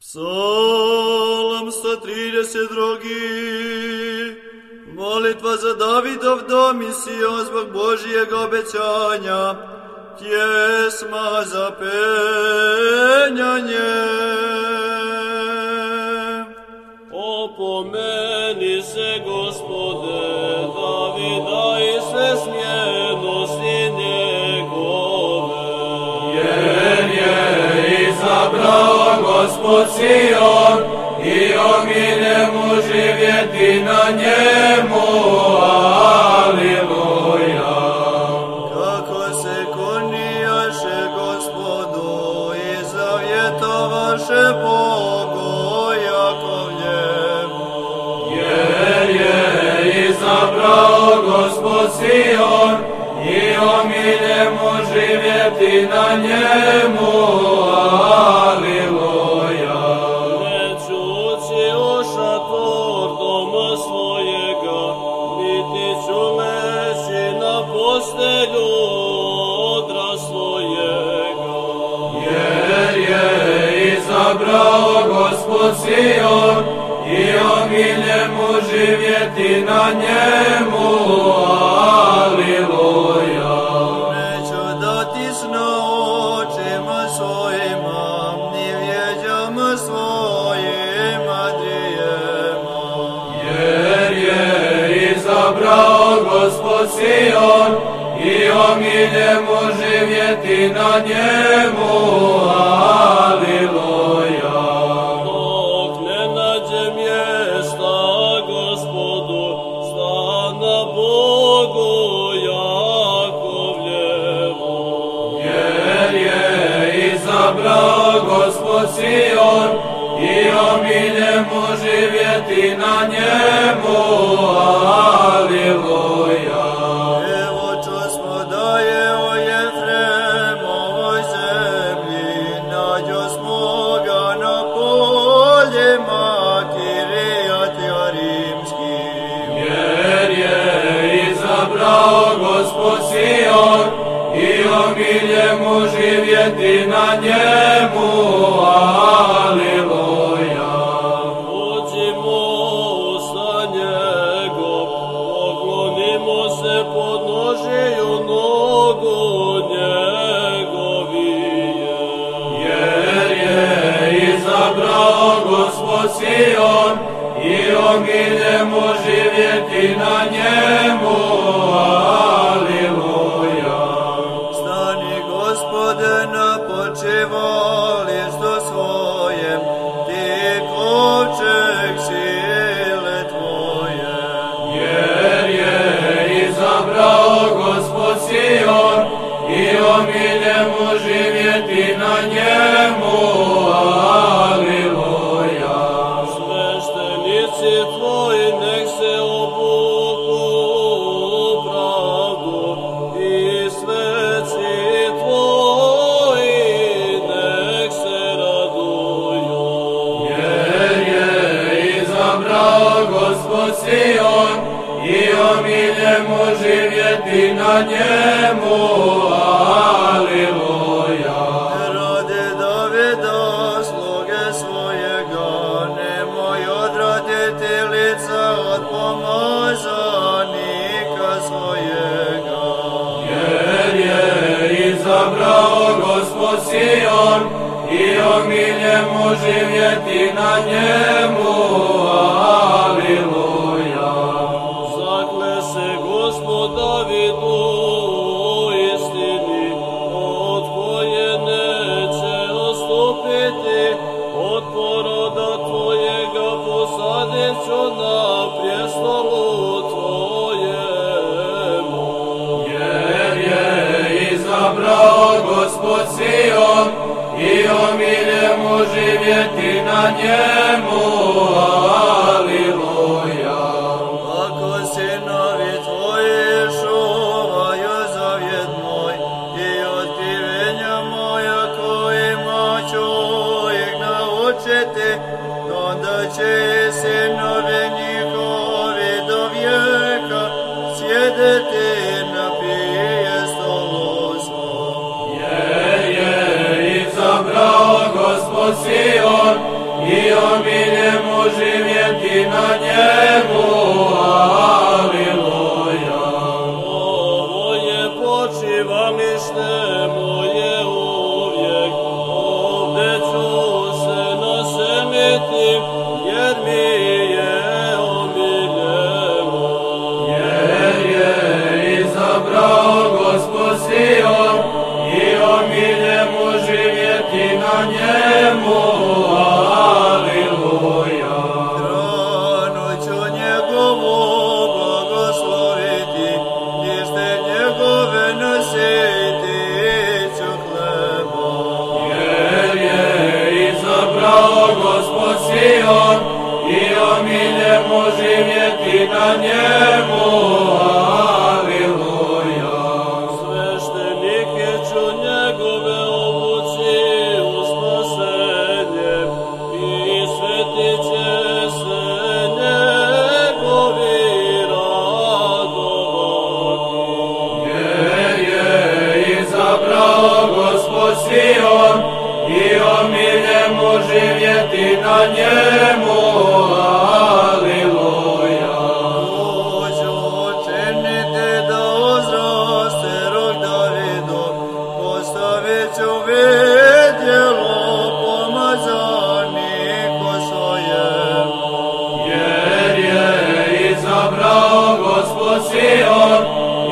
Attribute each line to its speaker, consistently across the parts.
Speaker 1: Psalm 132. Molitva za Davidov dom i Sion zbog Božijeg obećanja. Pjesma za penjanje.
Speaker 2: Opomeni se, Gospode, Davida i sve smjernosti njegove.
Speaker 3: Jer je izabrao Gospod Sion i omilje mu živjeti na njemu. Aliluja.
Speaker 1: Kako se kunijaše Gospodu i zavjetovaše Bogu Jakovljevu.
Speaker 3: Jer je izabrao Gospod Sion i omilje mu živjeti na njemu. Aliluja.
Speaker 2: Nećući u šator doma svojega, niti ću leći na postelju odra svojega.
Speaker 3: Jer je izabrao Gospod Sion i omilje mu živjeti na njemu. Aliluja.
Speaker 1: Neću dati sna očima svojima, ni vjeđama svojima drijema.
Speaker 3: Jer je izabrao Gospod Sion i omilje mu živjeti na njemu. Aliluja.
Speaker 2: Dok ne nađe mjesta Gospodu, stana Bogu Jakovljevu.
Speaker 3: Jer je izabrao Gospod Sion i omilje mu živjeti na njemu. Aliluja.
Speaker 1: Evo čusmo da je o Jefremovoj zemlji, nađosmo ga na poljima Kirijat Jearimskim.
Speaker 3: Jer je izabrao Gospod Sion i omilje mu živjeti na njemu. Aliluja.
Speaker 2: Uđimo u stan njegov, poklonimo se podnožiju nogu njegovije.
Speaker 3: Jer je izabrao Gospod Sion i omilje mu živjeti na njemu. Aliluja.
Speaker 1: Stani, Gospode, na počivalištu svojem, ti kovčeg sile tvoje.
Speaker 3: Jer je izabrao Gospod Sion i omilje mu živjeti na njemu. Aliluja.
Speaker 2: Sveštenici tvoji nek se obuku u pravdu i sveci tvoji nek se raduju.
Speaker 3: Jer je izabrao Gospod Sion i omilje mu živjeti na njemu. Aliluja.
Speaker 1: Rade Davida, sluge svojega, nemoj odraditi lica od pomazanika svojega.
Speaker 3: Jer je izabrao Gospod Sion i omilje mu živjeti na njemu. Aliluja.
Speaker 2: Zakle se Gospod Davidu u istini, od koje neće odstupiti, od poroda tvojega posadit ću na prijestolu tvojemu.
Speaker 3: Jer je izabrao Gospod Sion i omilje mu živjeti na njemu. Aliluja.
Speaker 1: Ako sinovi tvoji čuvaju zavjet moj i otkrivenja moja kojima ću ih naučiti, onda će i sinovi njihovi do vijeka sjedeti na prijestolu svom.
Speaker 3: Jer je izabrao Gospod Sion vjeti na njemu, aleluja.
Speaker 2: Ovo je počivalište moje uvijek, ovdje ću se naseliti, jer mi je omiljen moj.
Speaker 3: Jer je izabrao Gospod Sion i omiljen mu živjeti na njemu, aleluja.
Speaker 1: Hranu ću njegovu blagosloviti, lište njegove nositi ću hlebom.
Speaker 3: Jer je izabrao Gospod Sion i omiljen mu živjeti na njemu, aleluja.
Speaker 2: Sveštenike ću njegove obući u spasenje i svetit će se njegovi radovati.
Speaker 3: Jer je izabrao Gospod Sion i omiljen mu živjeti na njemu, aleluja.
Speaker 1: Hoću učiniti da uzraste rok Davidov, postavit ću vidjelo pomazaniku svojem.
Speaker 3: Jer je izabrao Gospod Sion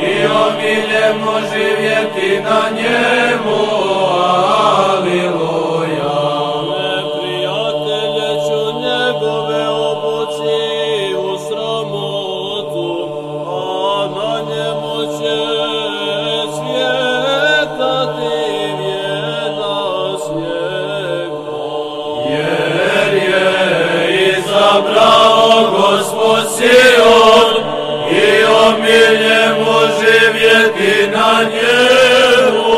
Speaker 3: i omiljen mu živjeti na njemu, aleluja.
Speaker 2: Neprijatelje ću njegove obući u sramotu, a na njemu će cvjetati vjenac njegov.
Speaker 3: Jer je izabrao Gospod Sion i omiljen mu živjeti na njemu,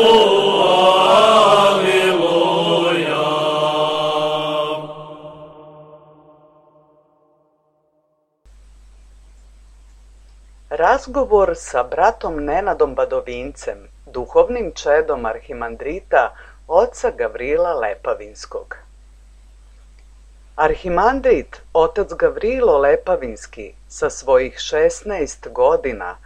Speaker 3: aleluja.
Speaker 4: Razgovor sa bratom Nenadom Badovincem, duhovnim čedom arhimandrita oca Gavrila Lepavinskog. Arhimandrit otac Gavrilo Lepavinski sa svojih 16 godina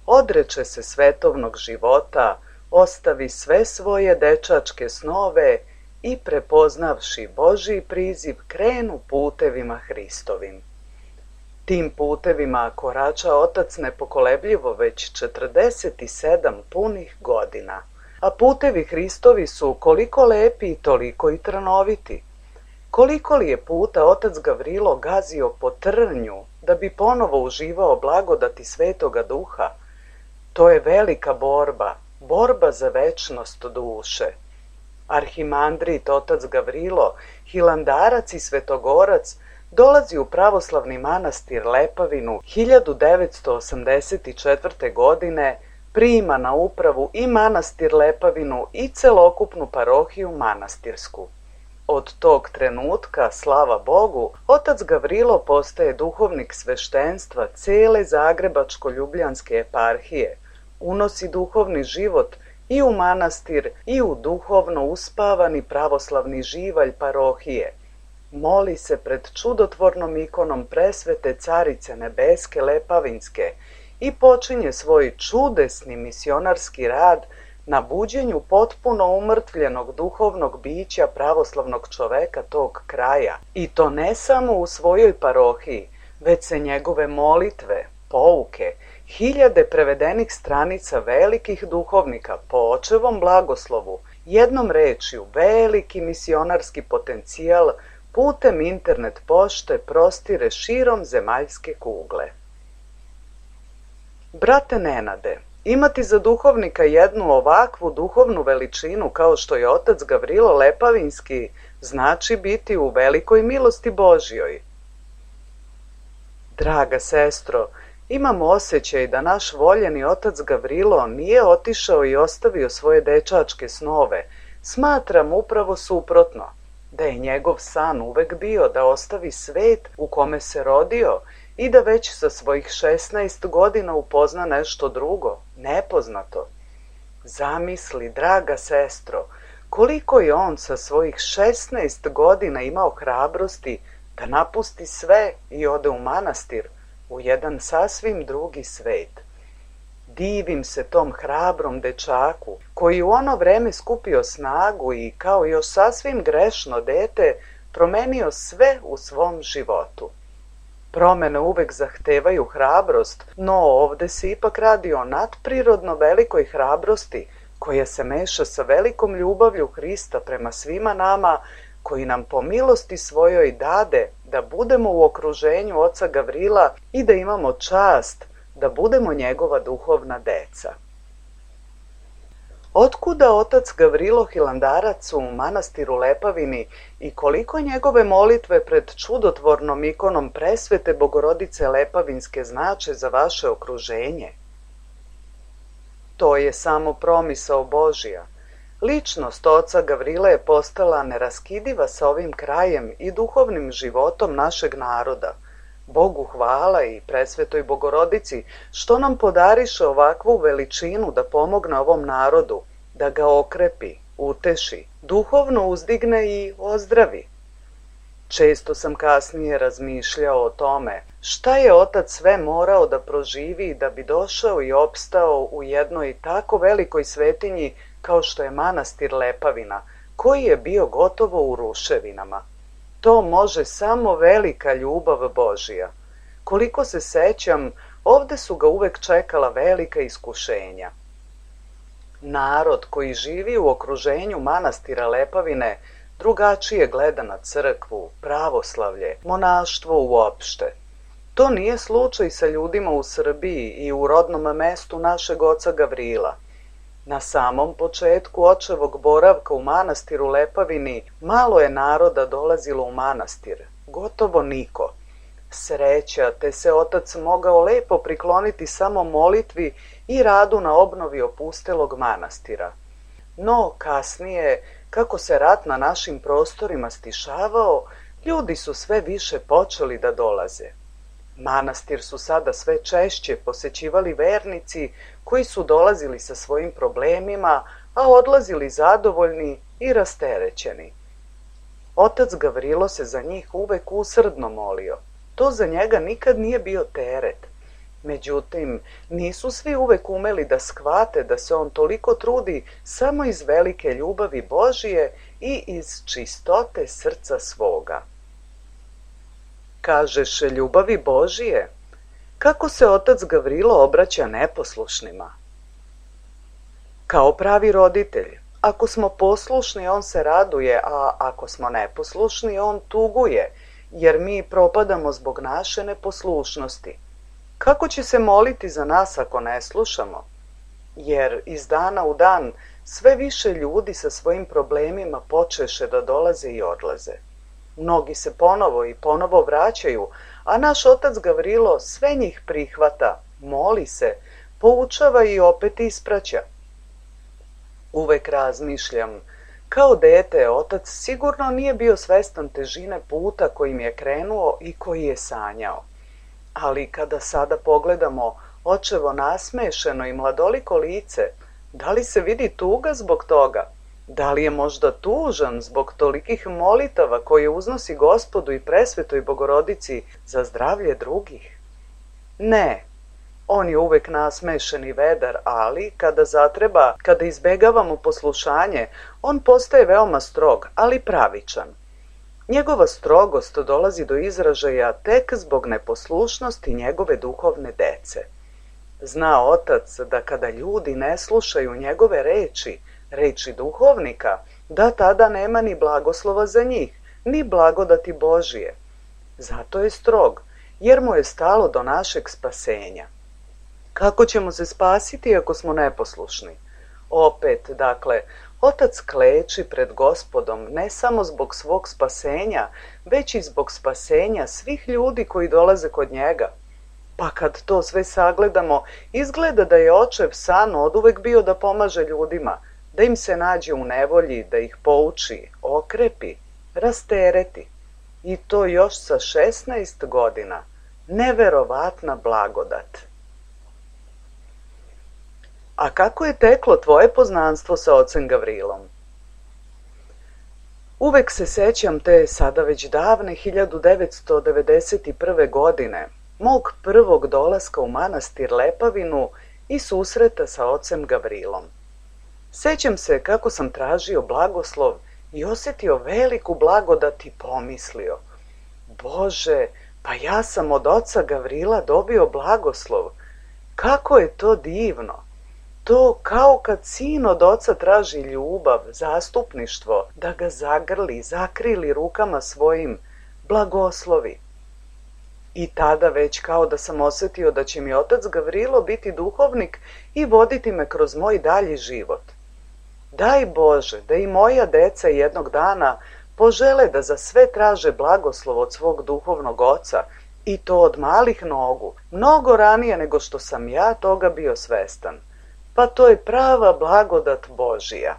Speaker 4: odreče se svetovnog života, ostavi sve svoje dečačke snove i prepoznavši Božji priziv krenu putevima Hristovim. Tim putevima korača otac nepokolebljivo već 47 punih godina, a putevi Hristovi su koliko lepi i toliko i trnoviti. Koliko li je puta otac Gavrilo gazio po trnju da bi ponovo uživao blagodati Svetoga Duha? To je velika borba, borba za večnost duše. Arhimandrit otac Gavrilo, hilandarac i svetogorac, dolazi u pravoslavni manastir Lepavinu 1984. godine, prima na upravu i manastir Lepavinu i celokupnu parohiju manastirsku. Od tog trenutka, slava Bogu, otac Gavrilo postaje duhovnik sveštenstva cele Zagrebačko-Ljubljanske eparhije, unosi duhovni život i u manastir i u duhovno uspavani pravoslavni živalj parohije, moli se pred čudotvornom ikonom presvete Carice Nebeske Lepavinske i počinje svoj čudesni misionarski rad na buđenju potpuno umrtvljenog duhovnog bića pravoslavnog čoveka tog kraja. I to ne samo u svojoj parohiji, već se njegove molitve, pouke, hiljade prevedenih stranica velikih duhovnika po očevom blagoslovu, jednom rečju veliki misionarski potencijal putem internet pošte prostire širom zemaljske kugle. Brate Nenade, imati za duhovnika jednu ovakvu duhovnu veličinu kao što je otac Gavrilo Lepavinski znači biti u velikoj milosti Božjoj. Draga sestro, imam osjećaj da naš voljeni otac Gavrilo nije otišao i ostavio svoje dečačke snove. Smatram upravo suprotno, da je njegov san uvek bio da ostavi svet u kome se rodio i da već sa svojih 16 godina upozna nešto drugo, nepoznato. Zamisli, draga sestro, koliko je on sa svojih 16 godina imao hrabrosti da napusti sve i ode u manastir, u jedan sasvim drugi svet. Divim se tom hrabrom dečaku, koji u ono vreme skupio snagu i kao još sasvim grešno dete promenio sve u svom životu. Promene uvek zahtevaju hrabrost, no ovde se ipak radi o nadprirodno velikoj hrabrosti, koja se meša sa velikom ljubavlju Hrista prema svima nama, koji nam po milosti svojoj dade da budemo u okruženju oca Gavrila i da imamo čast da budemo njegova duhovna deca. Otkuda otac Gavrilo Hilandarac u manastiru Lepavini i koliko njegove molitve pred čudotvornom ikonom presvete Bogorodice Lepavinske znače za vaše okruženje? To je samo promisao Božja. Ličnost oca Gavrila je postala neraskidiva sa ovim krajem i duhovnim životom našeg naroda. Bogu hvala i presvetoj Bogorodici što nam podariše ovakvu veličinu da pomogne ovom narodu, da ga okrepi, uteši, duhovno uzdigne i ozdravi. Često sam kasnije razmišljao o tome šta je otac sve morao da proživi da bi došao i opstao u jednoj tako velikoj svetinji kao što je manastir Lepavina, koji je bio gotovo u ruševinama. To može samo velika ljubav Božja. Koliko se sećam, ovde su ga uvek čekala velika iskušenja. Narod koji živi u okruženju manastira Lepavine drugačije gleda na crkvu, pravoslavlje, monaštvo uopšte. To nije slučaj sa ljudima u Srbiji i u rodnom mestu našeg oca Gavrila. Na samom početku očevog boravka u manastiru Lepavini malo je naroda dolazilo u manastir, gotovo niko. Sreća, te se otac mogao lepo prikloniti samo molitvi i radu na obnovi opustelog manastira. No, kasnije, kako se rat na našim prostorima stišavao, ljudi su sve više počeli da dolaze. Manastir su sada sve češće posećivali vernici koji su dolazili sa svojim problemima, a odlazili zadovoljni i rasterećeni. Otac Gavrilo se za njih uvek usrdno molio. To za njega nikad nije bio teret. Međutim, nisu svi uvek umeli da shvate da se on toliko trudi samo iz velike ljubavi Božije i iz čistote srca svoga. Kažeš ljubavi Božije? Kako se otac Gavrilo obraća neposlušnima? Kao pravi roditelj, ako smo poslušni, on se raduje, a ako smo neposlušni, on tuguje, jer mi propadamo zbog naše neposlušnosti. Kako će se moliti za nas ako ne slušamo? Jer iz dana u dan sve više ljudi sa svojim problemima počeše da dolaze i odlaze. Mnogi se ponovo i ponovo vraćaju, a naš otac Gavrilo sve njih prihvata, moli se, poučava i opet ispraća. Uvek razmišljam, kao dete otac sigurno nije bio svestan težine puta kojim je krenuo i koji je sanjao. Ali kada sada pogledamo očevo nasmešeno i mladoliko lice, da li se vidi tuga zbog toga? Da li je možda tužan zbog tolikih molitava koje uznosi Gospodu i presvetoj Bogorodici za zdravlje drugih? Ne, on je uvek nasmešen i vedar, ali kada zatreba, kada izbegavamo poslušanje, on postaje veoma strog, ali pravičan. Njegova strogost dolazi do izražaja tek zbog neposlušnosti njegove duhovne dece. Zna otac da kada ljudi ne slušaju njegove reči duhovnika, da tada nema ni blagoslova za njih, ni blagodati Božije. Zato je strog, jer mu je stalo do našeg spasenja. Kako ćemo se spasiti ako smo neposlušni? Opet, dakle, otac kleči pred Gospodom ne samo zbog svog spasenja, već i zbog spasenja svih ljudi koji dolaze kod njega. Pa kad to sve sagledamo, izgleda da je očev san oduvek bio da pomaže ljudima, da im se nađe u nevolji, da ih pouči, okrepi, rastereti. I to još sa 16 godina. Neverovatna blagodat. A kako je teklo tvoje poznanstvo sa ocem Gavrilom? Uvek se sećam te sada već davne 1991. godine, mog prvog dolaska u manastir Lepavinu i susreta sa ocem Gavrilom. Sećam se kako sam tražio blagoslov i osjetio veliku blagodat i pomislio: Bože, pa ja sam od oca Gavrila dobio blagoslov. Kako je to divno! To kao kad sin od oca traži ljubav, zastupništvo, da ga zagrli, zakrili rukama svojim, blagoslovi. I tada već kao da sam osjetio da će mi otac Gavrilo biti duhovnik i voditi me kroz moj dalji život. Daj Bože da i moja deca jednog dana požele da za sve traže blagoslov od svog duhovnog oca, i to od malih nogu, mnogo ranije nego što sam ja toga bio svestan. Pa to je prava blagodat Božija.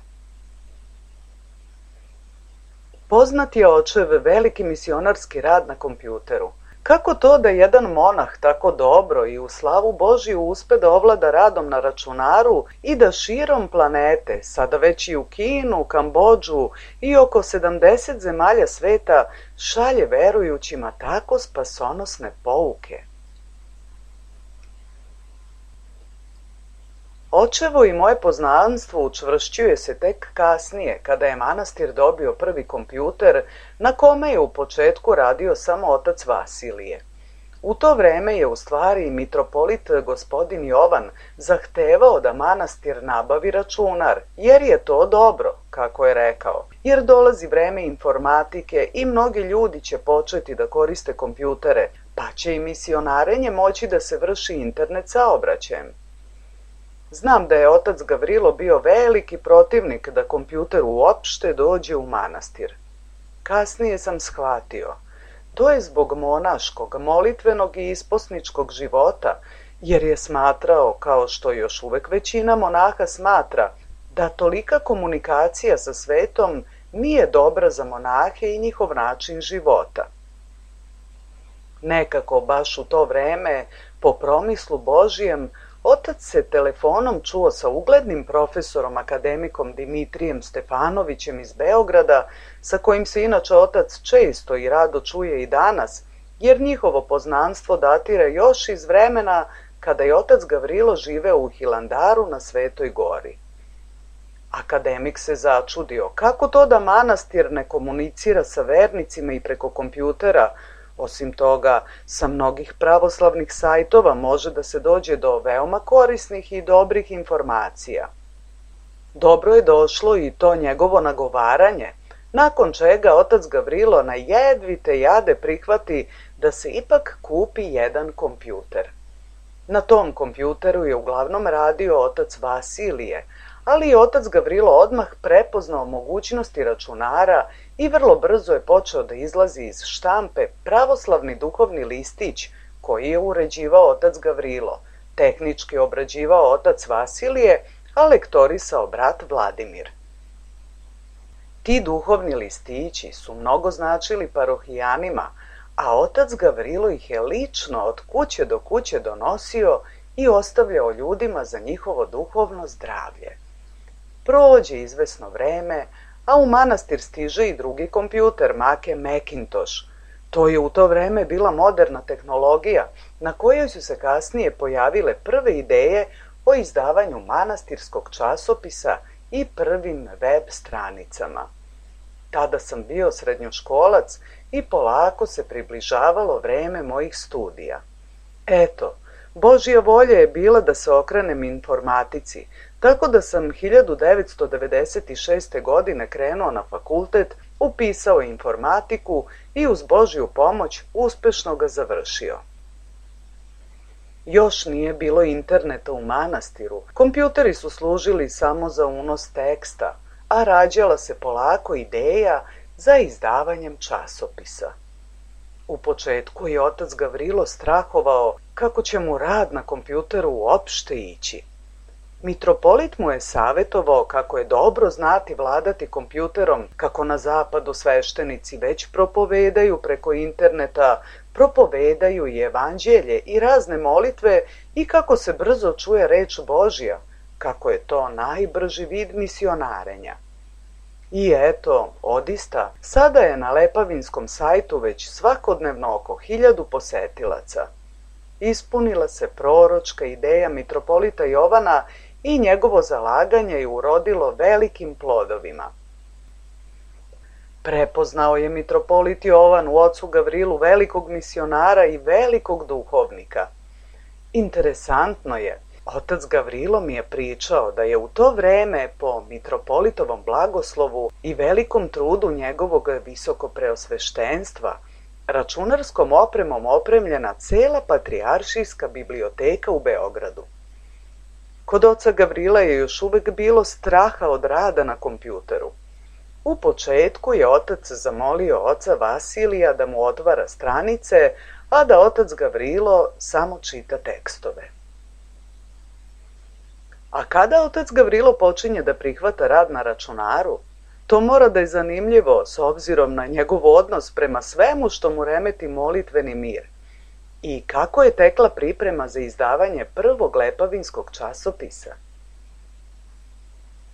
Speaker 4: Poznat je očev veliki misionarski rad na kompjuteru. Kako to da jedan monah tako dobro i u slavu Božiju uspe da ovlada radom na računaru i da širom planete, sada već i u Kinu, Kambodžu i oko 70 zemalja sveta, šalje verujućima tako spasonosne pouke? Očevo i moje poznanstvo učvršćuje se tek kasnije, kada je manastir dobio prvi kompjuter, na kome je u početku radio samo otac Vasilije. U to vreme je u stvari mitropolit gospodin Jovan zahtevao da manastir nabavi računar, jer je to dobro, kako je rekao, jer dolazi vreme informatike i mnogi ljudi će početi da koriste kompjutere, pa će i misionarenje moći da se vrši internet saobraćajem. Znam da je otac Gavrilo bio veliki protivnik da kompjuter uopšte dođe u manastir. Kasnije sam shvatio, to je zbog monaškog, molitvenog i isposničkog života, jer je smatrao, kao što još uvek većina monaha smatra, da tolika komunikacija sa svetom nije dobra za monahe i njihov način života. Nekako baš u to vreme, po promislu Božijem, otac se telefonom čuo sa uglednim profesorom akademikom Dimitrijem Stefanovićem iz Beograda, sa kojim se inače otac često i rado čuje i danas, jer njihovo poznanstvo datira još iz vremena kada je otac Gavrilo živeo u Hilandaru na Svetoj gori. Akademik se začudio kako to da manastir ne komunicira sa vernicima i preko kompjutera. Osim toga, sa mnogih pravoslavnih sajtova može da se dođe do veoma korisnih i dobrih informacija. Dobro je došlo i to njegovo nagovaranje, nakon čega otac Gavrilo na jedvite jade prihvati da se ipak kupi jedan kompjuter. Na tom kompjuteru je uglavnom radio otac Vasilije, ali je otac Gavrilo odmah prepoznao mogućnosti računara i vrlo brzo je počeo da izlazi iz štampe pravoslavni duhovni listić koji je uređivao otac Gavrilo, tehnički obrađivao otac Vasilije, a lektorisao brat Vladimir. Ti duhovni listići su mnogo značili parohijanima, a otac Gavrilo ih je lično od kuće do kuće donosio i ostavljao ljudima za njihovo duhovno zdravlje. Prođe izvesno vreme, a u manastir stiže i drugi kompjuter, Macintosh. To je u to vreme bila moderna tehnologija na kojoj su se kasnije pojavile prve ideje o izdavanju manastirskog časopisa i prvim web stranicama. Tada sam bio srednjoškolac i polako se približavalo vreme mojih studija. Eto, Božja volja je bila da se okrenem informatici, tako da sam 1996. godine krenuo na fakultet, upisao informatiku i uz Božju pomoć uspešno ga završio. Još nije bilo interneta u manastiru, kompjuteri su služili samo za unos teksta, a rađala se polako ideja za izdavanjem časopisa. U početku je otac Gavrilo strahovao kako će mu rad na kompjuteru uopšte ići. Mitropolit mu je savjetovao kako je dobro znati vladati kompjuterom, kako na zapadu sveštenici već propovedaju preko interneta, propovedaju i evanđelje i razne molitve i kako se brzo čuje reč Božja, kako je to najbrži vid misionarenja. I eto, odista, sada je na lepavinskom sajtu već svakodnevno oko 1000 posetilaca. Ispunila se proročka ideja mitropolita Jovana i njegovo zalaganje je urodilo velikim plodovima. Prepoznao je mitropolit Jovan u ocu Gavrilu velikog misionara i velikog duhovnika. Interesantno je, otac Gavrilo mi je pričao da je u to vreme po mitropolitovom blagoslovu i velikom trudu njegovog visokopreosveštenstva računarskom opremom opremljena cela patrijaršijska biblioteka u Beogradu. Kod oca Gavrila je još uvek bilo straha od rada na kompjuteru. U početku je otac zamolio oca Vasilija da mu otvara stranice, a da otac Gavrilo samo čita tekstove. A kada otac Gavrilo počinje da prihvata rad na računaru, to mora da je zanimljivo s obzirom na njegov odnos prema svemu što mu remeti molitveni mir i kako je tekla priprema za izdavanje prvog lepavinskog časopisa.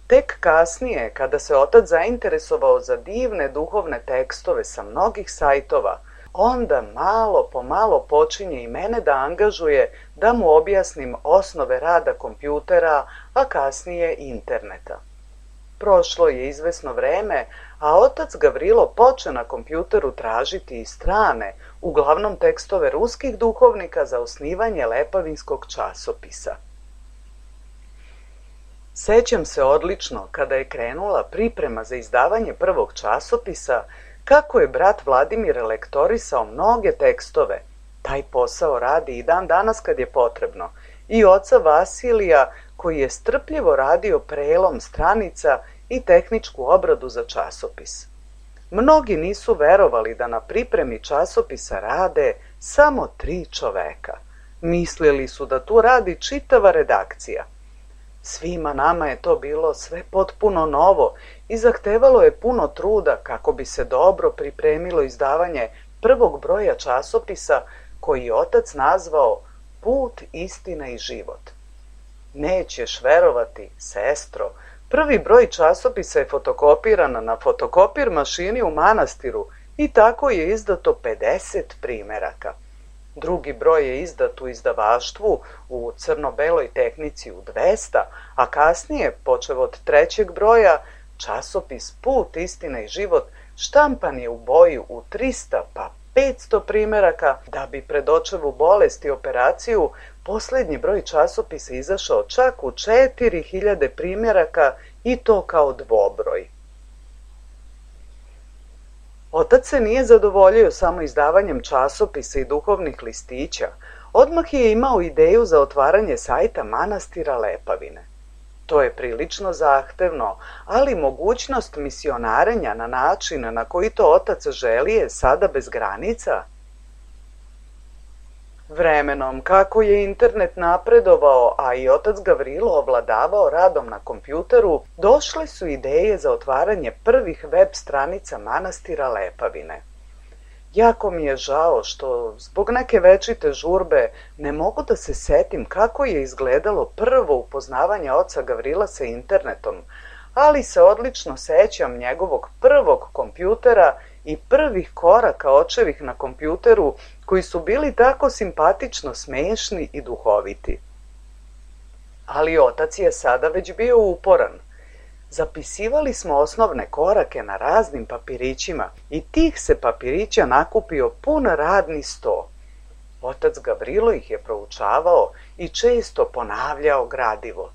Speaker 4: Tek kasnije, kada se otac zainteresovao za divne duhovne tekstove sa mnogih sajtova, onda malo po malo počinje i mene da angažuje da mu objasnim osnove rada kompjutera, a kasnije interneta. Prošlo je izvesno vreme, a otac Gavrilo poče na kompjuteru tražiti i strane, uglavnom tekstove ruskih duhovnika za osnivanje lepavinskog časopisa. Sećam se odlično kada je krenula priprema za izdavanje prvog časopisa, kako je brat Vladimir lektorisao mnoge tekstove. Taj posao radi i dan danas kad je potrebno. I oca Vasilija koji je strpljivo radio prelom stranica i tehničku obradu za časopis. Mnogi nisu verovali da na pripremi časopisa rade samo 3 čoveka. Mislili su da tu radi čitava redakcija. Svima nama je to bilo sve potpuno novo i zahtevalo je puno truda kako bi se dobro pripremilo izdavanje prvog broja časopisa koji je otac nazvao Put, istina i život. Nećeš verovati, sestro, prvi broj časopisa je fotokopiran na fotokopir mašini u manastiru i tako je izdato 50 primeraka. Drugi broj je izdat u izdavaštvu u crno-beloj tehnici u 200, a kasnije, počev od 3. broja, časopis Put, istina i život štampan je u boji u 300 pa 500 primeraka, da bi pred očevu bolest i operaciju poslednji broj časopisa izašao čak u 4000 primjeraka i to kao dvobroj. Otac se nije zadovoljio samo izdavanjem časopisa i duhovnih listića, odmah je imao ideju za otvaranje sajta manastira Lepavine. To je prilično zahtevno, ali mogućnost misionarenja na način na koji to otac želi je sada bez granica. Vremenom, kako je internet napredovao, a i otac Gavrilo ovladavao radom na kompjuteru, došle su ideje za otvaranje prvih web stranica manastira Lepavine. Jako mi je žao što zbog neke večite žurbe ne mogu da se setim kako je izgledalo prvo upoznavanje oca Gavrila sa internetom, ali se odlično sećam njegovog prvog kompjutera i prvih koraka očevih na kompjuteru koji su bili tako simpatično smešni i duhoviti. Ali otac je sada već bio uporan. Zapisivali smo osnovne korake na raznim papirićima i tih se papirića nakupio pun radni sto. Otac Gavrilo ih je proučavao i često ponavljao gradivo.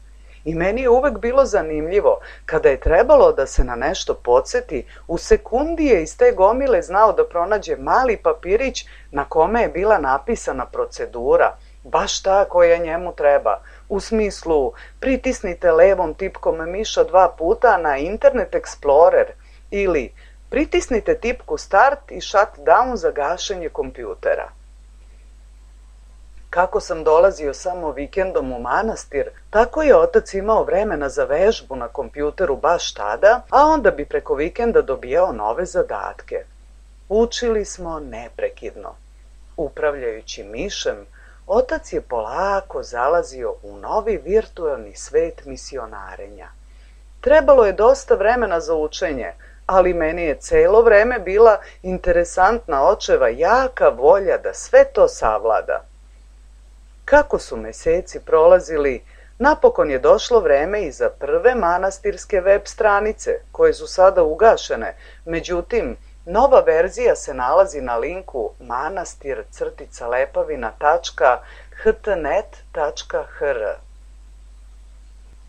Speaker 4: I meni je uvek bilo zanimljivo, kada je trebalo da se na nešto podsjeti, u sekundi je iz te gomile znao da pronađe mali papirić na kome je bila napisana procedura, baš ta koja njemu treba. U smislu, pritisnite levom tipkom miša 2 puta na Internet Explorer ili pritisnite tipku Start i Shutdown za gašenje kompjutera. Kako sam dolazio samo vikendom u manastir, tako je otac imao vremena za vežbu na kompjuteru baš tada, a onda bi preko vikenda dobijao nove zadatke. Učili smo neprekidno. Upravljajući mišem, otac je polako zalazio u novi virtualni svet misionarenja. Trebalo je dosta vremena za učenje, ali meni je celo vreme bila interesantna očeva jaka volja da sve to savlada. Kako su meseci prolazili, napokon je došlo vreme i za prve manastirske web stranice, koje su sada ugašene. Međutim, nova verzija se nalazi na linku manastir-lepavina.htnet.hr.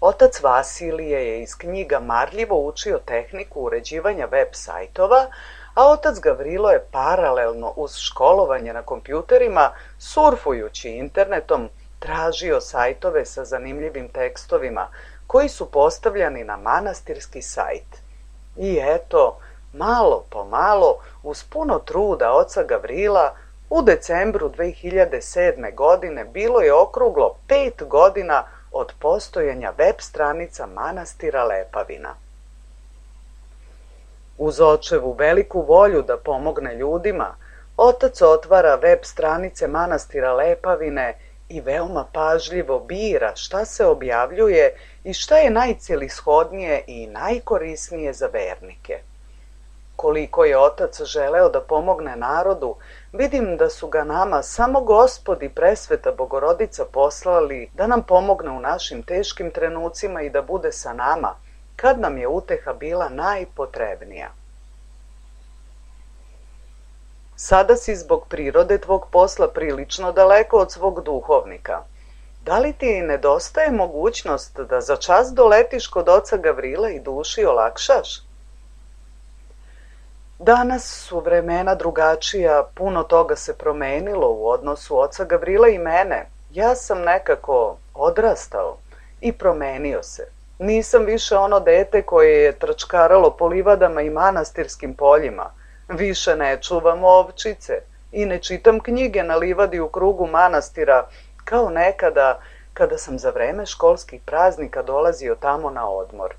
Speaker 4: Otac Vasilije je iz knjiga marljivo učio tehniku uređivanja web sajtova, a otac Gavrilo je paralelno uz školovanje na kompjuterima, surfujući internetom, tražio sajtove sa zanimljivim tekstovima koji su postavljani na manastirski sajt. I eto, malo po malo, uz puno truda oca Gavrila, u decembru 2007. godine bilo je okruglo 5 godina od postojanja web stranica manastira Lepavina. Uz očevu veliku volju da pomogne ljudima, otac otvara web stranice manastira Lepavine i veoma pažljivo bira šta se objavljuje i šta je najcelishodnije i najkorisnije za vernike. Koliko je otac želeo da pomogne narodu, vidim da su ga nama samo Gospod i Presveta Bogorodica poslali da nam pomogne u našim teškim trenucima i da bude sa nama, kad nam je uteha bila najpotrebnija. Sada si zbog prirode tvog posla prilično daleko od svog duhovnika. Da li ti nedostaje mogućnost da za čas doletiš kod oca Gavrila i duši olakšaš? Danas su vremena drugačija, puno toga se promenilo u odnosu oca Gavrila i mene. Ja sam nekako odrastao i promenio se. Nisam više ono dete koje je trčkaralo po livadama i manastirskim poljima. Više ne čuvam ovčice i ne čitam knjige na livadi u krugu manastira kao nekada kada sam za vreme školskih praznika dolazio tamo na odmor.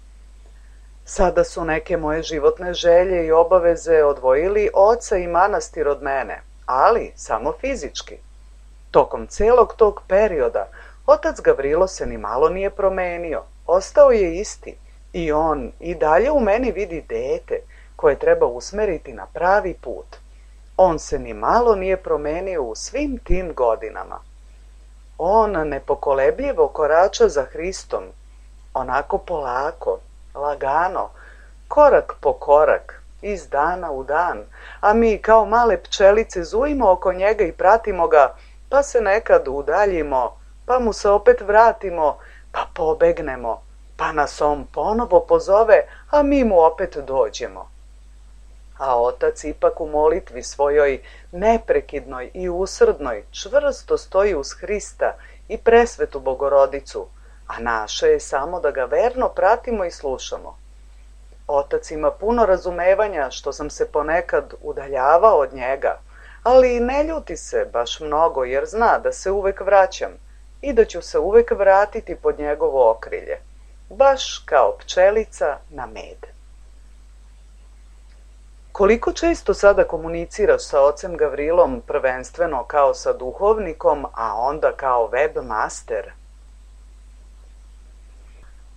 Speaker 4: Sada su neke moje životne želje i obaveze odvojili oca i manastir od mene, ali samo fizički. Tokom celog tog perioda otac Gavrilo se ni malo nije promenio, ostao je isti i on i dalje u meni vidi dete koje treba usmeriti na pravi put. On se ni malo nije promenio u svim tim godinama. On nepokolebljivo korača za Hristom, onako polako, lagano, korak po korak, iz dana u dan, a mi kao male pčelice zujimo oko njega i pratimo ga, pa se nekad udaljimo, pa mu se opet vratimo, pa pobegnemo, pa nas on ponovo pozove, a mi mu opet dođemo. A otac ipak u molitvi svojoj neprekidnoj i usrdnoj čvrsto stoji uz Hrista i Presvetu Bogorodicu, a naše je samo da ga verno pratimo i slušamo. Otac ima puno razumevanja što sam se ponekad udaljavao od njega, ali ne ljuti se baš mnogo jer zna da se uvek vraćam i da ću se uvek vratiti pod njegovo okrilje, baš kao pčelica na med. Koliko često sada komuniciraš sa ocem Gavrilom, prvenstveno kao sa duhovnikom, a onda kao webmaster?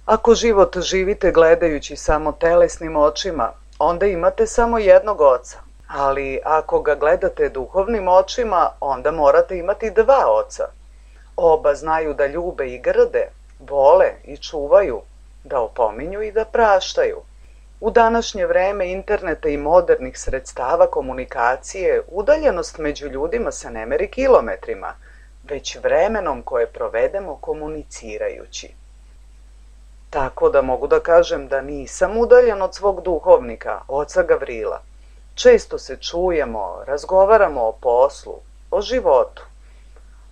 Speaker 4: Ako život živite gledajući samo telesnim očima, onda imate samo jednog oca. Ali ako ga gledate duhovnim očima, onda morate imati dva oca. Oba znaju da ljube i grde, vole i čuvaju, da opominju i da praštaju. U današnje vreme interneta i modernih sredstava komunikacije, udaljenost među ljudima se ne meri kilometrima, već vremenom koje provedemo komunicirajući. Tako da mogu da kažem da nisam udaljen od svog duhovnika, oca Gavrila. Često se čujemo, razgovaramo o poslu, o životu.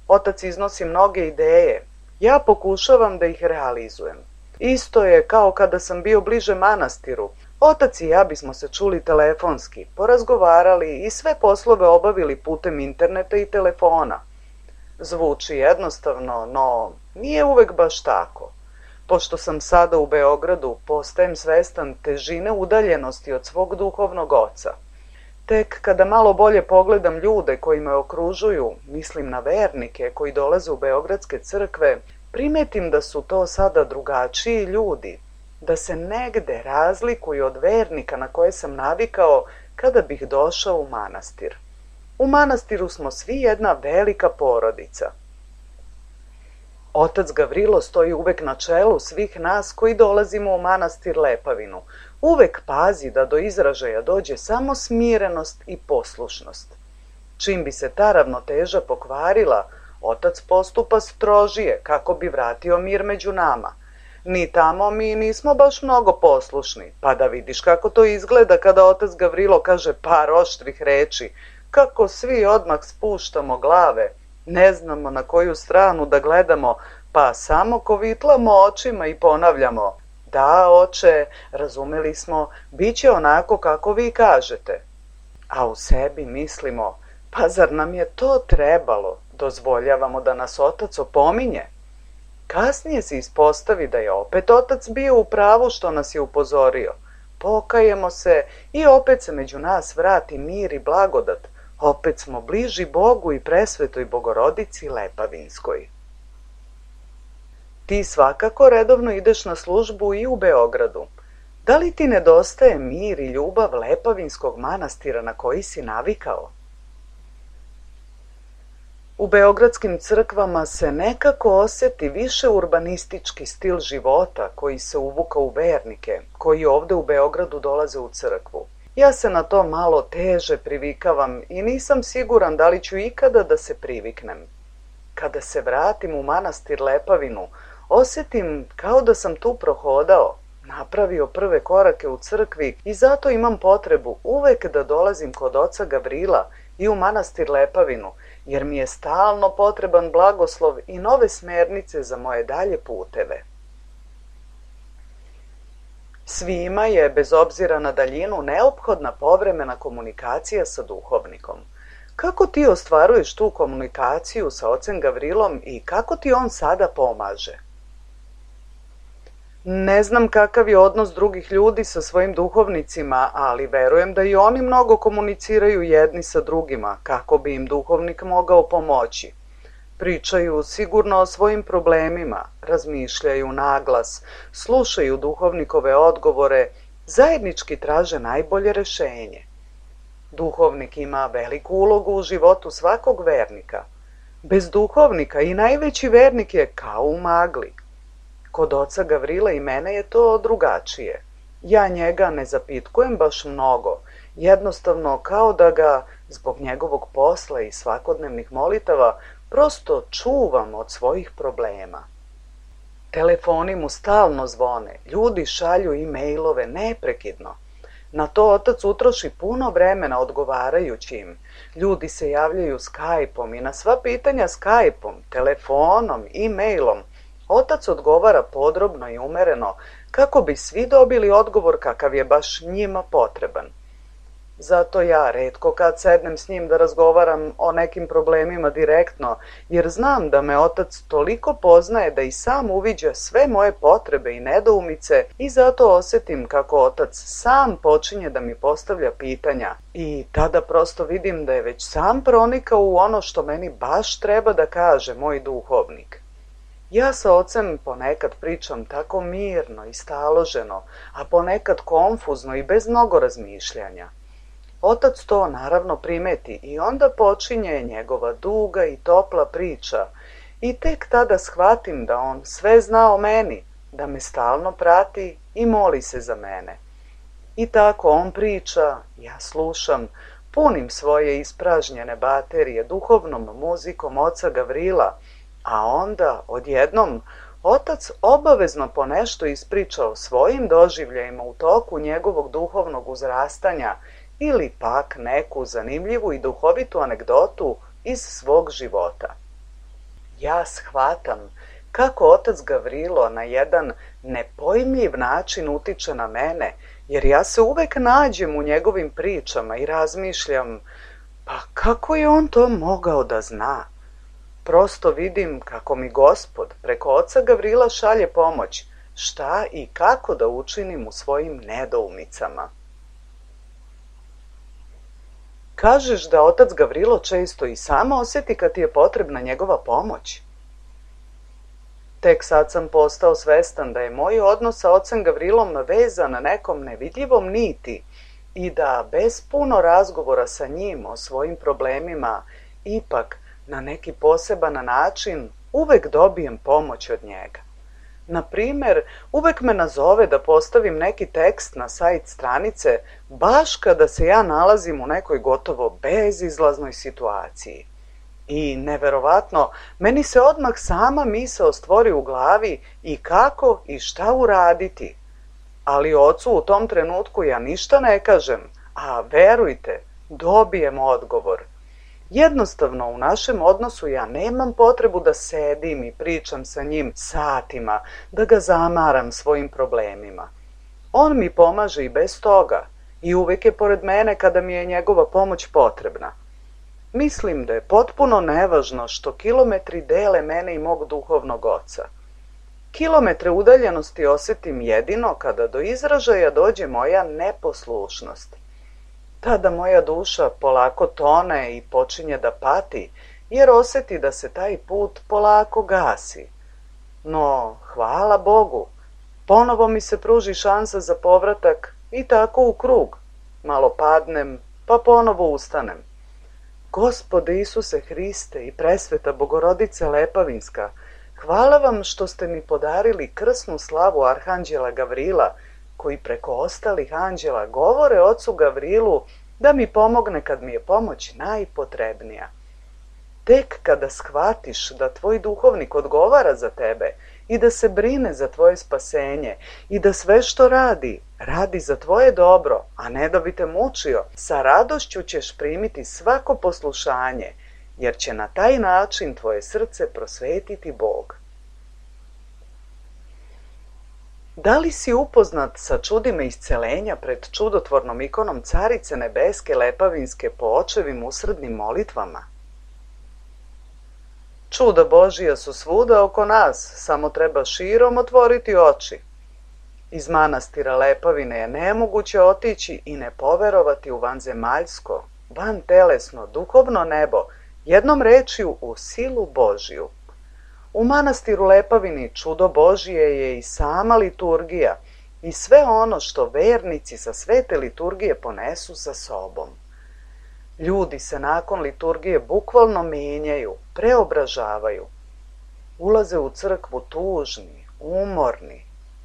Speaker 4: Otac iznosi mnoge ideje, ja pokušavam da ih realizujem. Isto je kao kada sam bio bliže manastiru. Otac i ja bismo se čuli telefonski, porazgovarali i sve poslove obavili putem interneta i telefona. Zvuči jednostavno, no nije uvek baš tako. Pošto sam sada u Beogradu, postajem svestan težine udaljenosti od svog duhovnog oca. Tek kada malo bolje pogledam ljude koji me okružuju, mislim na vernike koji dolaze u beogradske crkve, primetim da su to sada drugačiji ljudi, da se negde razlikuju od vernika na koje sam navikao kada bih došao u manastir. U manastiru smo svi jedna velika porodica. Otac Gavrilo stoji uvek na čelu svih nas koji dolazimo u manastir Lepavinu. Uvek pazi da do izražaja dođe samo smirenost i poslušnost. Čim bi se ta ravnoteža pokvarila, otac postupa strožije kako bi vratio mir među nama. Ni tamo mi nismo baš mnogo poslušni, pa da vidiš kako to izgleda kada otac Gavrilo kaže par oštrih reči, kako svi odmah spuštamo glave, ne znamo na koju stranu da gledamo, pa samo kovitlamo očima i ponavljamo: da, oče, razumeli smo, bit će onako kako vi kažete. A u sebi mislimo: pa zar nam je to trebalo? Dozvoljavamo da nas otac opominje. Kasnije se ispostavi da je opet otac bio u pravu što nas je upozorio. Pokajemo se i opet se među nas vrati mir i blagodat. Opet smo bliži Bogu i presvetoj Bogorodici Lepavinskoj. Ti svakako redovno ideš na službu i u Beogradu. Da li ti nedostaje mir i ljubav Lepavinskog manastira na koji si navikao? U beogradskim crkvama se nekako osjeti više urbanistički stil života koji se uvuka u vernike, koji ovde u Beogradu dolaze u crkvu. Ja se na to malo teže privikavam i nisam siguran da li ću ikada da se priviknem. Kada se vratim u manastir Lepavinu, osjetim kao da sam tu prohodao, napravio prve korake u crkvi i zato imam potrebu uvek da dolazim kod oca Gavrila i u manastir Lepavinu, jer mi je stalno potreban blagoslov i nove smernice za moje dalje puteve. Svima je, bez obzira na daljinu, neophodna povremena komunikacija sa duhovnikom. Kako ti ostvaruješ tu komunikaciju sa ocem Gavrilom i kako ti on sada pomaže? Ne znam kakav je odnos drugih ljudi sa svojim duhovnicima, ali verujem da i oni mnogo komuniciraju jedni sa drugima, kako bi im duhovnik mogao pomoći. Pričaju sigurno o svojim problemima, razmišljaju naglas, slušaju duhovnikove odgovore, zajednički traže najbolje rešenje. Duhovnik ima veliku ulogu u životu svakog vernika. Bez duhovnika i najveći vernik je kao u magli. Kod oca Gavrila i mene je to drugačije. Ja njega ne zapitkujem baš mnogo, jednostavno kao da ga, zbog njegovog posla i svakodnevnih molitava, prosto čuvam od svojih problema. Telefoni mu stalno zvone, ljudi šalju e-mailove neprekidno. Na to otac utroši puno vremena odgovarajući im. Ljudi se javljaju Skype-om i na sva pitanja Skype-om, telefonom, e-mailom. Otac odgovara podrobno i umereno kako bi svi dobili odgovor kakav je baš njima potreban. Zato ja retko kad sednem s njim da razgovaram o nekim problemima direktno, jer znam da me otac toliko poznaje da i sam uviđa sve moje potrebe i nedoumice i zato osjetim kako otac sam počinje da mi postavlja pitanja i tada prosto vidim da je već sam pronikao u ono što meni baš treba da kaže moj duhovnik. Ja sa ocem ponekad pričam tako mirno i staloženo, a ponekad konfuzno i bez mnogo razmišljanja. Otac to naravno primeti i onda počinje njegova duga i topla priča i tek tada shvatim da on sve zna o meni, da me stalno prati i moli se za mene. I tako on priča, ja slušam, punim svoje ispražnjene baterije duhovnom muzikom oca Gavrila, a onda odjednom otac obavezno ponešto ispriča o svojim doživljajima u toku njegovog duhovnog uzrastanja ili pak neku zanimljivu i duhovitu anegdotu iz svog života. Ja shvatam kako otac Gavrilo na jedan nepojmljiv način utiče na mene, jer ja se uvek nađem u njegovim pričama i razmišljam, pa kako je on to mogao da zna? Prosto vidim kako mi Gospod preko oca Gavrila šalje pomoć, šta i kako da učinim u svojim nedoumicama. Kažeš da otac Gavrilo često i sam osjeti kad ti je potrebna njegova pomoć? Tek sad sam postao svestan da je moj odnos sa ocem Gavrilom vezan na nekom nevidljivom niti i da bez puno razgovora sa njim o svojim problemima ipak na neki poseban način uvek dobijem pomoć od njega. Na primjer, uvek me nazove da postavim neki tekst na sajt stranice baš kada se ja nalazim u nekoj gotovo bezizlaznoj situaciji. I neverovatno, meni se odmah sama misao stvori u glavi i kako i šta uraditi. Ali ocu u tom trenutku ja ništa ne kažem, a verujte, dobijem odgovor. Jednostavno u našem odnosu ja nemam potrebu da sedim i pričam sa njim satima, da ga zamaram svojim problemima. On mi pomaže i bez toga i uvek je pored mene kada mi je njegova pomoć potrebna. Mislim da je potpuno nevažno što kilometri dele mene i mog duhovnog oca. Kilometre udaljenosti osetim jedino kada do izražaja dođe moja neposlušnost. Tada moja duša polako tone i počinje da pati, jer oseti da se taj put polako gasi. No, hvala Bogu, ponovo mi se pruži šansa za povratak i tako u krug. Malo padnem, pa ponovo ustanem. Gospode Isuse Hriste i presveta Bogorodice Lepavinska, hvala vam što ste mi podarili krsnu slavu Arhanđela Gavrila, koji preko ostalih anđela govore ocu Gavrilu da mi pomogne kad mi je pomoć najpotrebnija. Tek kada shvatiš da tvoj duhovnik odgovara za tebe i da se brine za tvoje spasenje i da sve što radi, radi za tvoje dobro, a ne da bi te mučio, sa radošću ćeš primiti svako poslušanje, jer će na taj način tvoje srce prosvetiti Bog. Da li si upoznat sa čudima iscelenja pred čudotvornom ikonom Carice Nebeske Lepavinske po očevim usrednim molitvama? Čuda Božija su svuda oko nas, samo treba širom otvoriti oči. Iz manastira Lepavine je nemoguće otići i ne poverovati u vanzemaljsko, vantelesno, duhovno nebo, jednom rečju u silu Božiju. U manastiru Lepavini čudo Božije je i sama liturgija i sve ono što vernici sa svete liturgije ponesu sa sobom. Ljudi se nakon liturgije bukvalno menjaju, preobražavaju. Ulaze u crkvu tužni, umorni,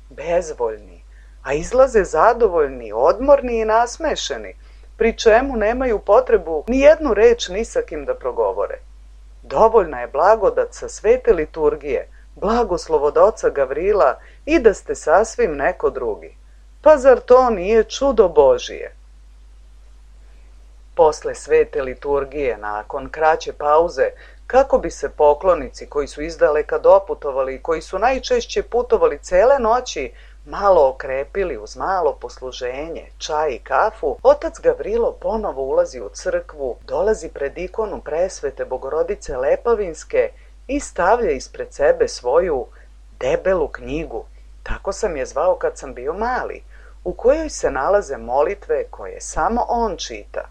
Speaker 4: bezvoljni, a izlaze zadovoljni, odmorni i nasmešeni, pri čemu nemaju potrebu ni jednu reč ni sa kim da progovore. Dovoljna je blagodat sa svete liturgije, blagoslov od oca Gavrila i da ste sasvim neko drugi. Pa zar to nije čudo Božije? Posle svete liturgije, nakon kraće pauze, kako bi se poklonici koji su izdaleka doputovali i koji su najčešće putovali cele noći, malo okrepili uz malo posluženje, čaj i kafu, otac Gavrilo ponovo ulazi u crkvu, dolazi pred ikonu presvete Bogorodice Lepavinske i stavlja ispred sebe svoju debelu knjigu, tako sam je zvao kad sam bio mali, u kojoj se nalaze molitve koje samo on čita.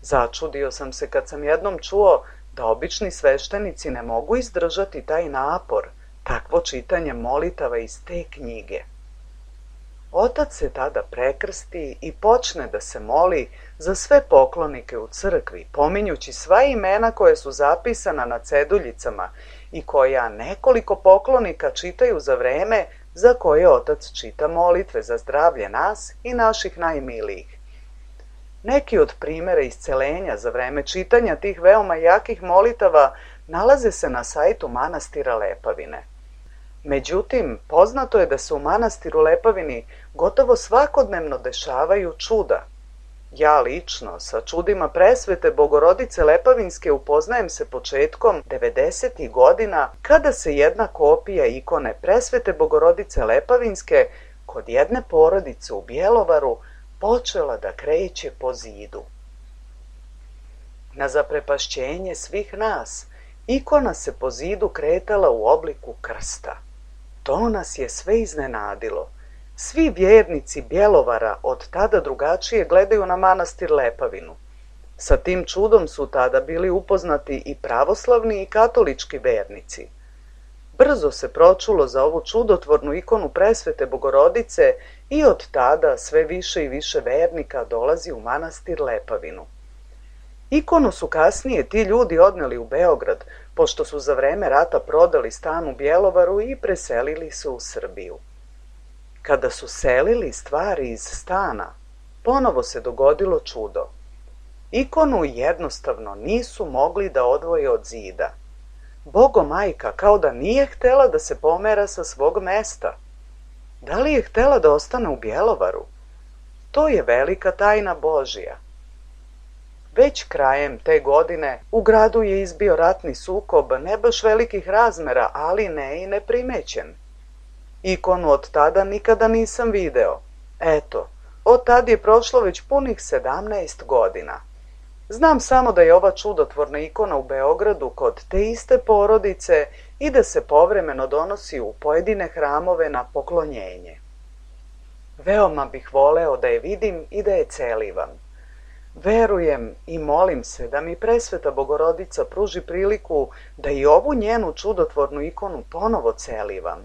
Speaker 4: Začudio sam se kad sam jednom čuo da obični sveštenici ne mogu izdržati taj napor, takvo čitanje molitava iz te knjige. Otac se tada prekrsti i počne da se moli za sve poklonike u crkvi, pominjući sva imena koje su zapisana na ceduljicama i koja nekoliko poklonika čitaju za vreme za koje otac čita molitve za zdravlje nas i naših najmilijih. Neki od primjera iscelenja za vreme čitanja tih veoma jakih molitava nalaze se na sajtu manastira Lepavine. Međutim, poznato je da se u manastiru Lepavini gotovo svakodnevno dešavaju čuda. Ja lično sa čudima presvete Bogorodice Lepavinske upoznajem se početkom 90. godina kada se jedna kopija ikone presvete Bogorodice Lepavinske kod jedne porodice u Bjelovaru počela da kreće po zidu. Na zaprepašćenje svih nas, ikona se po zidu kretala u obliku krsta. To nas je sve iznenadilo. Svi vjernici Bjelovara od tada drugačije gledaju na manastir Lepavinu. Sa tim čudom su tada bili upoznati i pravoslavni i katolički vernici. brzo se pročulo za ovu čudotvornu ikonu presvete Bogorodice i od tada sve više i više vernika dolazi u manastir Lepavinu. Ikonu su kasnije ti ljudi odneli u Beograd, pošto su za vreme rata prodali stan u Bjelovaru i preselili se u Srbiju. Kada su selili stvari iz stana, ponovo se dogodilo čudo. Ikonu jednostavno nisu mogli da odvoje od zida. Bogomajka kao da nije htela da se pomera sa svog mesta. Da li je htela da ostane u Bjelovaru? To je velika tajna Božja. Već krajem te godine u gradu je izbio ratni sukob, ne baš velikih razmera, ali ne i neprimećen. Ikonu od tada nikada nisam video. Eto, od tad je prošlo već punih 17 godina. Znam samo da je ova čudotvorna ikona u Beogradu kod te iste porodice i da se povremeno donosi u pojedine hramove na poklonjenje. Veoma bih voleo da je vidim i da je celivam. Verujem i molim se da mi presveta Bogorodica pruži priliku da i ovu njenu čudotvornu ikonu ponovo celivam.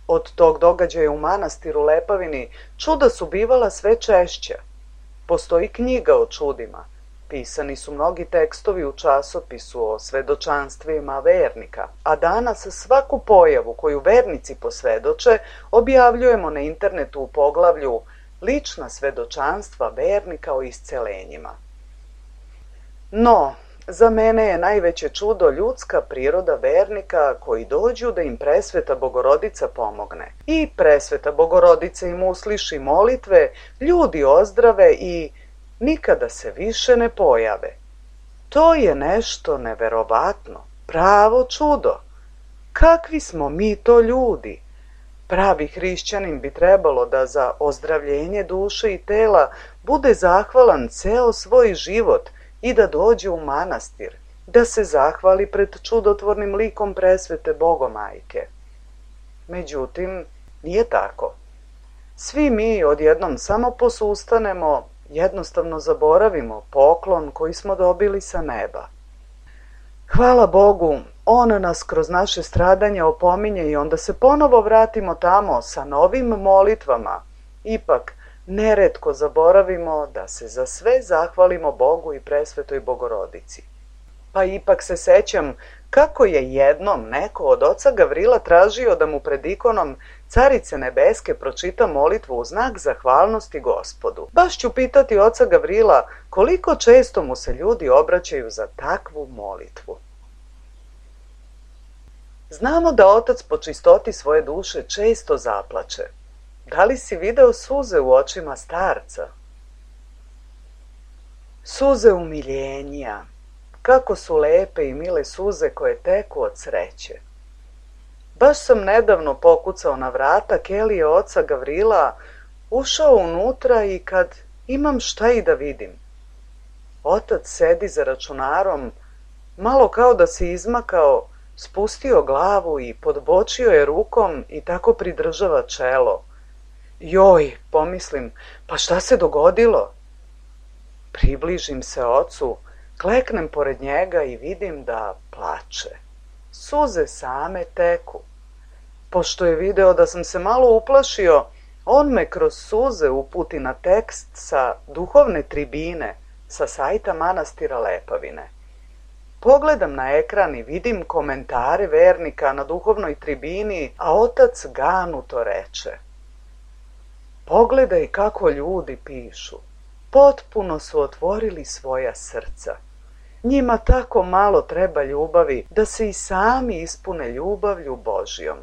Speaker 4: Od tog događaja u manastiru Lepavini čuda su bivala sve češća. Postoji knjiga o čudima. Pisani su mnogi tekstovi u časopisu o svedočanstvima vernika, a danas svaku pojavu koju vernici posvedoče objavljujemo na internetu u poglavlju Lična svedočanstva vernika o iscelenjima. No, za mene je najveće čudo ljudska priroda vernika koji dođu da im presveta Bogorodica pomogne. I presveta Bogorodica im usliši molitve, ljudi ozdrave i nikada se više ne pojave. To je nešto neverovatno, pravo čudo. Kakvi smo mi to ljudi? Pravi hrišćanin bi trebalo da za ozdravljenje duše i tela bude zahvalan ceo svoj život i da dođe u manastir, da se zahvali pred čudotvornim likom presvete Bogomajke. Međutim, nije tako. Svi mi odjednom samo posustanemo, jednostavno zaboravimo poklon koji smo dobili sa neba. Hvala Bogu, On nas kroz naše stradanje opominje i onda se ponovo vratimo tamo sa novim molitvama. Ipak, neretko zaboravimo da se za sve zahvalimo Bogu i presvetoj Bogorodici. Pa ipak se sećam kako je jednom neko od oca Gavrila tražio da mu pred ikonom Carice Nebeske pročita molitvu u znak zahvalnosti Gospodu. Baš ću pitati oca Gavrila koliko često mu se ljudi obraćaju za takvu molitvu. Znamo da otac po čistoti svoje duše često zaplače. Da li si video suze u očima starca? Suze umiljenja. Kako su lepe i mile suze koje teku od sreće. Baš sam nedavno pokucao na vrata kelije oca Gavrila, ušao unutra i kad imam šta i da vidim. Otac sedi za računarom, malo kao da se izmakao, spustio glavu i podbočio je rukom i tako pridržava čelo. Joj, pomislim, pa šta se dogodilo? Približim se ocu, kleknem pored njega i vidim da plače. Suze same teku. Pošto je video da sam se malo uplašio, on me kroz suze uputi na tekst sa duhovne tribine sa sajta manastira Lepavine. Pogledam na ekran i vidim komentare vernika na duhovnoj tribini, a otac ganuto reče: pogledaj kako ljudi pišu. Potpuno su otvorili svoja srca. Njima tako malo treba ljubavi da se i sami ispune ljubavlju Božjom.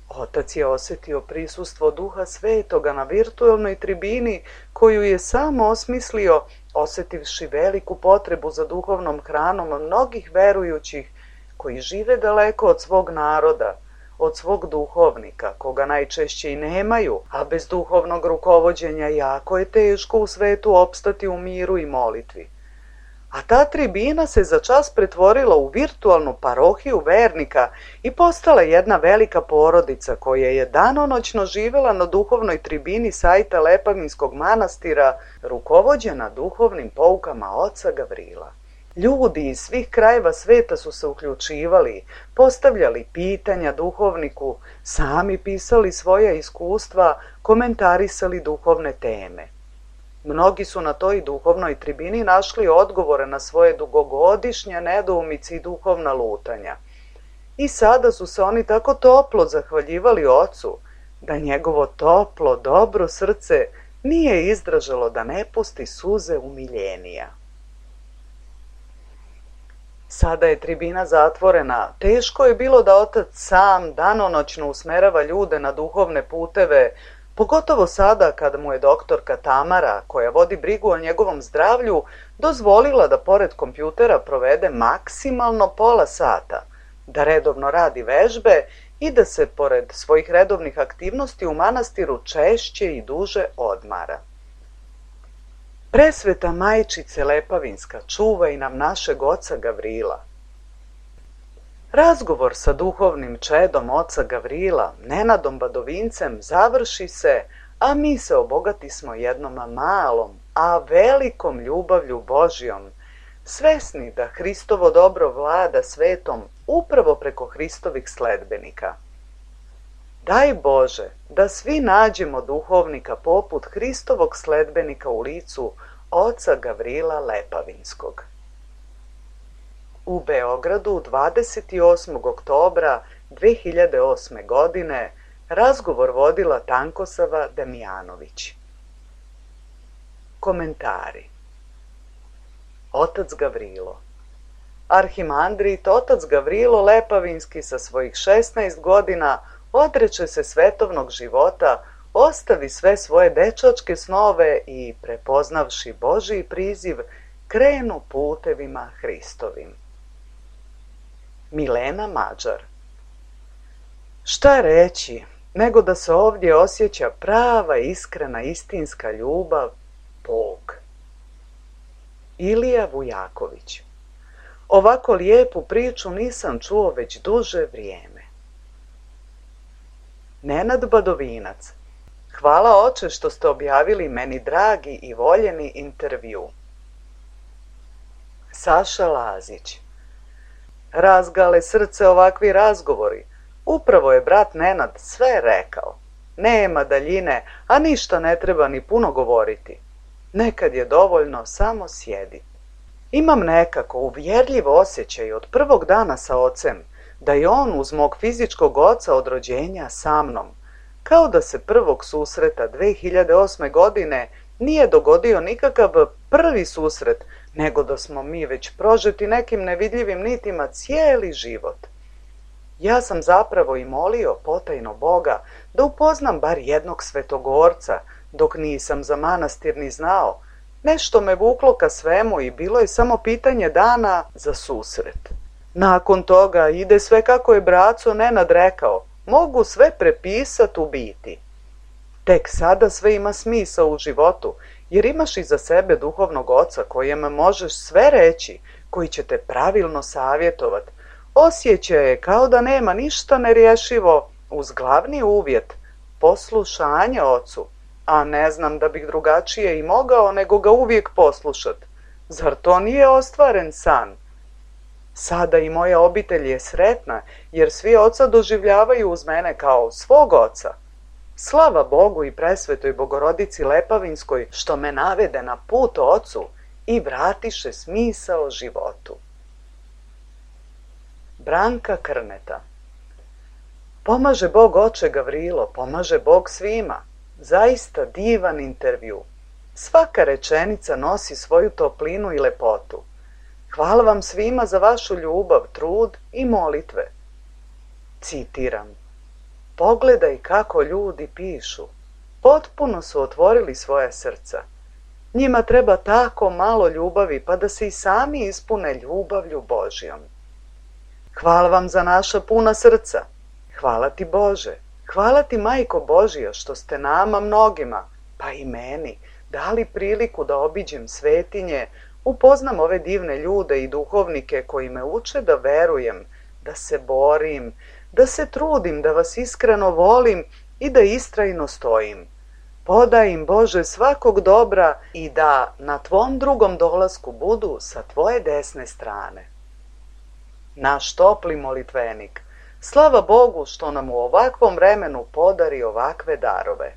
Speaker 4: Otac je osjetio prisustvo Duha Svetoga na virtualnoj tribini koju je sam osmislio, osjetivši veliku potrebu za duhovnom hranom mnogih verujućih koji žive daleko od svog naroda, od svog duhovnika, koga najčešće i nemaju, a bez duhovnog rukovođenja jako je teško u svetu opstati u miru i molitvi. A ta tribina se za čas pretvorila u virtualnu parohiju vernika i postala jedna velika porodica koja je danonoćno živela na duhovnoj tribini sajta Lepavinskog manastira, rukovođena duhovnim poukama oca Gavrila. Ljudi iz svih krajeva sveta su se uključivali, postavljali pitanja duhovniku, sami pisali svoja iskustva, komentarisali duhovne teme. Mnogi su na toj duhovnoj tribini našli odgovore na svoje dugogodišnje nedoumice i duhovna lutanja. I sada su se oni tako toplo zahvaljivali ocu, da njegovo toplo, dobro srce nije izdržalo da ne pusti suze umiljenija. Sada je tribina zatvorena. Teško je bilo da otac sam danonoćno usmerava ljude na duhovne puteve, pogotovo sada kada mu je doktorka Tamara, koja vodi brigu o njegovom zdravlju, dozvolila da pored kompjutera provede maksimalno pola sata, da redovno radi vežbe i da se pored svojih redovnih aktivnosti u manastiru češće i duže odmara. Presveta majčice Lepavinska, čuvaj nam našeg oca Gavrila. Razgovor sa duhovnim čedom oca Gavrila, Nenadom Badovincem, završi se, a mi se obogatismo jednom malom, a velikom ljubavlju Božjom, svesni da Hristovo dobro vlada svetom upravo preko Hristovih sledbenika. Daj Bože da svi nađemo duhovnika poput Hristovog sledbenika u licu oca Gavrila Lepavinskog. U Beogradu 28. oktobra 2008. godine razgovor vodila Tankosava Damjanović. Komentari. Otac Gavrilo. Arhimandrit otac Gavrilo Lepavinski sa svojih 16 godina odreče se svetovnog života, ostavi sve svoje dečačke snove i, prepoznavši Božji priziv, krenu putevima Hristovim. Milena Mađar. Šta reći, nego da se ovdje osjeća prava, iskrena, istinska ljubav, Bog. Ilija Vujaković. Ovako lijepu priču nisam čuo već duže vrijeme. Nenad Badovinac. Hvala oče što ste objavili meni dragi i voljeni intervju. Saša Lazić. Razgale srce ovakvi razgovori. Upravo je brat Nenad sve rekao. Nema daljine, a ništa ne treba ni puno govoriti. Nekad je dovoljno samo sjedi. Imam nekako uvjerljiv osjećaj od prvog dana sa ocem, da je on uz mog fizičkog oca od rođenja sa mnom, kao da se prvog susreta 2008. godine nije dogodio nikakav prvi susret, nego da smo mi već prožeti nekim nevidljivim nitima cijeli život. Ja sam zapravo i molio potajno Boga da upoznam bar jednog svetogorca, dok nisam za manastir ni znao. Nešto me vuklo ka svemu i bilo je samo pitanje dana za susret. Nakon toga ide sve kako je braco Nenad rekao, mogu sve prepisat u biti. Tek sada sve ima smisao u životu, jer imaš iza sebe duhovnog oca kojem možeš sve reći, koji će te pravilno savjetovat. Osjećaj je kao da nema ništa nerješivo uz glavni uvjet, poslušanje ocu, a ne znam da bih drugačije i mogao nego ga uvijek poslušat. Zar to nije ostvaren san? Sada i moja obitelj je sretna, jer svi oca doživljavaju uz mene kao svog oca. Slava Bogu i presvetoj Bogorodici Lepavinskoj što me navede na put ocu i vratiše smisao životu. Branka Krneta. Pomaže Bog oče Gavrilo, pomaže Bog svima. Zaista divan intervju. Svaka rečenica nosi svoju toplinu i lepotu. Hvala vam svima za vašu ljubav, trud i molitve. Citiram. Pogledaj kako ljudi pišu. Potpuno su otvorili svoja srca. Njima treba tako malo ljubavi pa da se i sami ispune ljubavlju Božjom. Hvala vam za naša puna srca. Hvala ti Bože. Hvala ti Majko Božja što ste nama mnogima, pa i meni, dali priliku da obiđem svetinje, upoznam ove divne ljude i duhovnike koji me uče da verujem, da se borim, da se trudim, da vas iskreno volim i da istrajno stojim. Podaj im, Bože, svakog dobra i da na Tvom drugom dolasku budu sa Tvoje desne strane. Naš topli molitvenik. Slava Bogu što nam u ovakvom vremenu podari ovakve darove.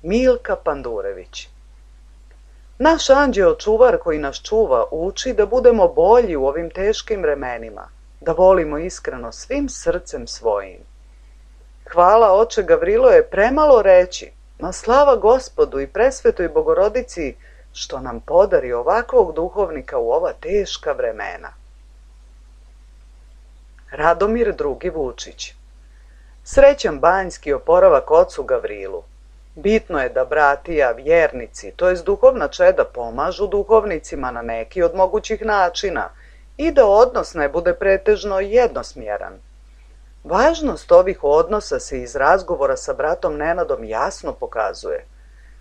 Speaker 4: Milka Pandurević. Naš anđeo čuvar koji nas čuva uči da budemo bolji u ovim teškim vremenima, da volimo iskreno svim srcem svojim. Hvala, oče Gavrilo, je premalo reći, ma slava Gospodu i presvetoj Bogorodici što nam podari ovakvog duhovnika u ova teška vremena. Radomir II. Vučić. Srećan banjski oporavak ocu Gavrilu. Bitno je da bratija, vjernici, to jest duhovna čeda, pomažu duhovnicima na neki od mogućih načina i da odnos ne bude pretežno jednosmjeran. Važnost ovih odnosa se iz razgovora sa bratom Nenadom jasno pokazuje.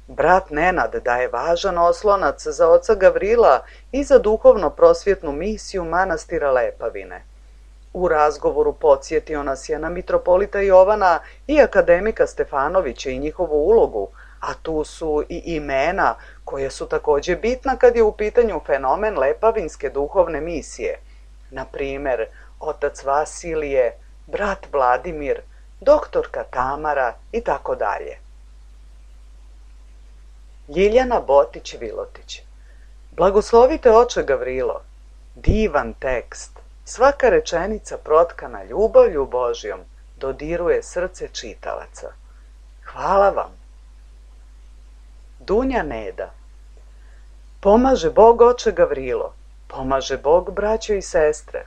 Speaker 4: Brat Nenad daje važan oslonac za oca Gavrila i za duhovno-prosvjetnu misiju manastira Lepavine. U razgovoru podsjetio nas je na mitropolita Jovana i akademika Stefanovića i njihovu ulogu, a tu su i imena koje su također bitna kad je u pitanju fenomen lepavinske duhovne misije. Na primjer, otac Vasilije, brat Vladimir, doktorka Tamara i tako dalje. Ljiljana Botić-Vilotić. Blagoslovite oče Gavrilo. Divan tekst. Svaka rečenica protkana ljubavlju Božjom dodiruje srce čitalaca. Hvala vam. Dunja Neda. Pomaže Bog oče Gavrilo, pomaže Bog braćo i sestre.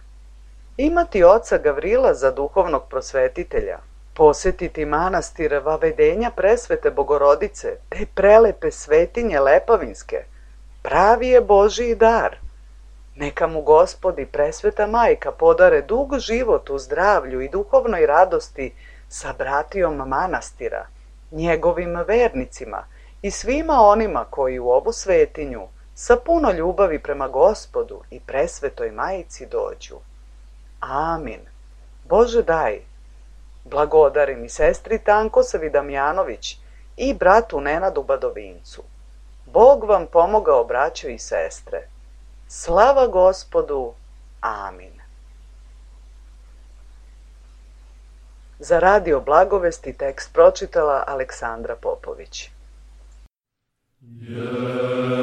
Speaker 4: Imati oca Gavrila za duhovnog prosvetitelja, posjetiti manastir Vavedenja presvete Bogorodice, te prelepe svetinje lepavinske, pravi je Božji dar. Neka mu Gospod i presveta majka podare dug život u zdravlju i duhovnoj radosti sa bratijom manastira, njegovim vernicima i svima onima koji u ovu svetinju sa puno ljubavi prema Gospodu i presvetoj majici dođu. Amin. Bože daj. Blagodarim i sestri Tankosavi Damjanović i bratu Nenadu Badovincu. Bog vam pomogao, braćo i sestre. Slava Gospodu. Amin. Za Radio Blagovesti tekst pročitala Aleksandra Popović.
Speaker 3: Yeah.